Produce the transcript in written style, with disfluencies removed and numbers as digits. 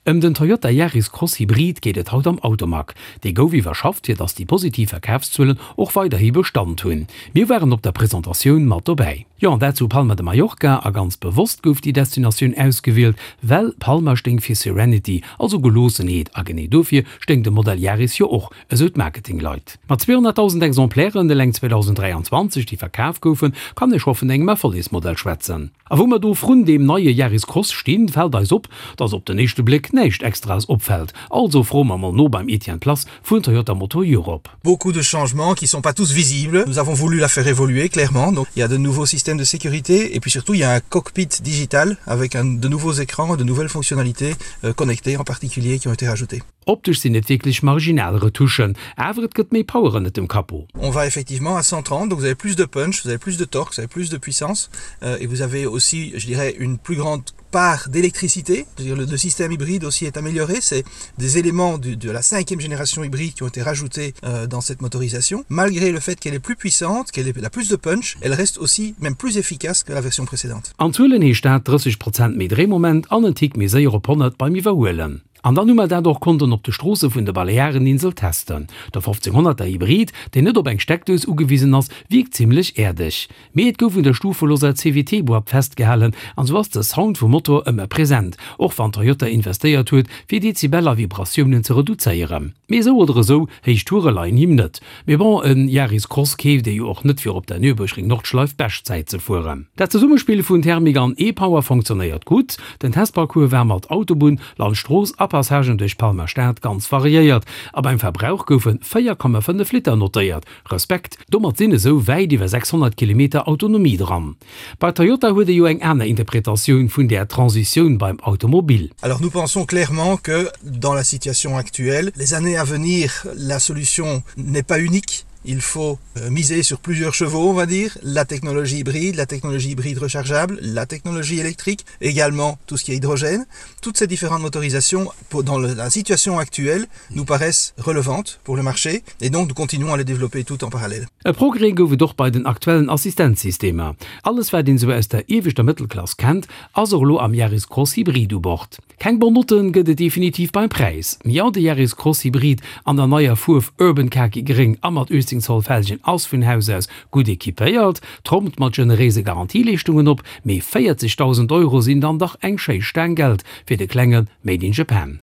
Ëm den Toyota Yaris Cross Hybrid geet et haut am Automag. Dee gouf iwwerschafft, fir datt déi positiv Verkafszuelen och weiderhi Bestand hunn. Mir waren op der Presentatioun mat dobäi. Jo, an dat zu Palma de Mallorca. A ganz bewosst gouf déi Destinatioun ausgewielt, well Palma stéing fir Serenity, also Geloossenheet. A genee dofir stéing de Modell Yaris jo och, esou d'Marketingleit. Mat 200.000 Exemplairen eleng 2023, déi verkaf goufen, kann ee scho vun engem Erfollegsmodell schwätzen. A wou mer do vrun deem neie Yaris Cross stinn, fält eis op, dass op den éischte Bléck näischt Extraes opfält. Also froe mer mol no beim Etienne Plass vun Toyota Motor Europe. Beaucoup de changements qui sont pas tous visibles. Nous avons voulu la faire évoluer clairement. Donc il y a de nouveaux systèmes de sécurité et puis surtout il y a un cockpit digital avec un, de nouveaux écrans, de nouvelles fonctionnalités euh, connectées en particulier qui ont été rajoutées. Optesch sinn et wierklech marginal Retouchen, awer et gëtt méi Power ënnert dem Capot. On va effectivement à 130, donc vous avez plus de punch, vous avez plus de torque, vous avez plus de puissance euh, et vous avez aussi, je dirais, une plus grande part d'électricité. Le, le système hybride aussi est amélioré, c'est des éléments du, de la cinquième génération hybride qui ont été rajoutés euh, dans cette motorisation. Malgré le fait qu'elle est plus puissante, qu'elle ait la plus de punch, elle reste aussi même plus efficace que la version précédente. An Zuelen heescht dat 30 Prozent méi Dréimoment an en Tick méi séier op 100 beim Iwwerhuelen. An dann hu mer dat och konnten op de Stroosse vun de Baleareninsel testen. De 1500er Hybrid, deen net op eng Steckdous ugewisen ass, wierkt zimmlech äerdeg. Mee et gouf un der stufeloser CVT-Boîte festgehalen an sou ass de Sound vum Motor ëmmer present, och wann Toyota investéiert huet, fir Dezibel a Vibratiounen ze reduzéieren. Mee esou oder esou, héich Toure leien him net. Mee bon, en Yaris Cross keeft ee jo och net fir op der Nürburgring Nordschleif Beschtzäit ze fueren. Dat Zesummespill vun Thermik an E-Power fonktionéiert gutt. Den Testparcours war mat Autobunn, Landstrooss a Passagen duerch Palmer Stad ganz variéiert a beim Verbrauch goufe 4,5 Liter notéiert. Respekt, domat sinn esou wäit iwwer 600 Kilometer Autonomie dran. Bei Toyota huet ee jo eng aner Interpretatioun vun där Transitioun beim Automobil. Alors nous pensons clairement que dans la situation actuelle, les années à venir, la solution n'est pas unique. Il faut euh, miser sur plusieurs chevaux, on va dire, la technologie hybride, la technologie hybride rechargeable, la technologie électrique, également tout ce qui est hydrogène. Toutes ces différentes motorisations dans la situation actuelle nous paraissent relevantes pour le marché et donc nous continuons à les développer tout en parallèle. E Progrès gouf et och bei den aktuellen Assistenzsystemer. Alles wat een esou aus der ieweschter Mëttelklass kennt, ass och elo am Yaris Cross Hybrid u Bord. Keng Bon Notte gëtt et definitiv beim Präis. Jo, de Yaris Cross Hybrid an der neier Fuerf Urban Khaki Gréng a mat 18 Zoll Felgen ass vun Haus aus gutt equipéiert, trompt mat generéise Garantieleeschtungen op, mee 40.000 Euro sinn dann dach eng schéi Staang Geld fir de klenge Made in Japan.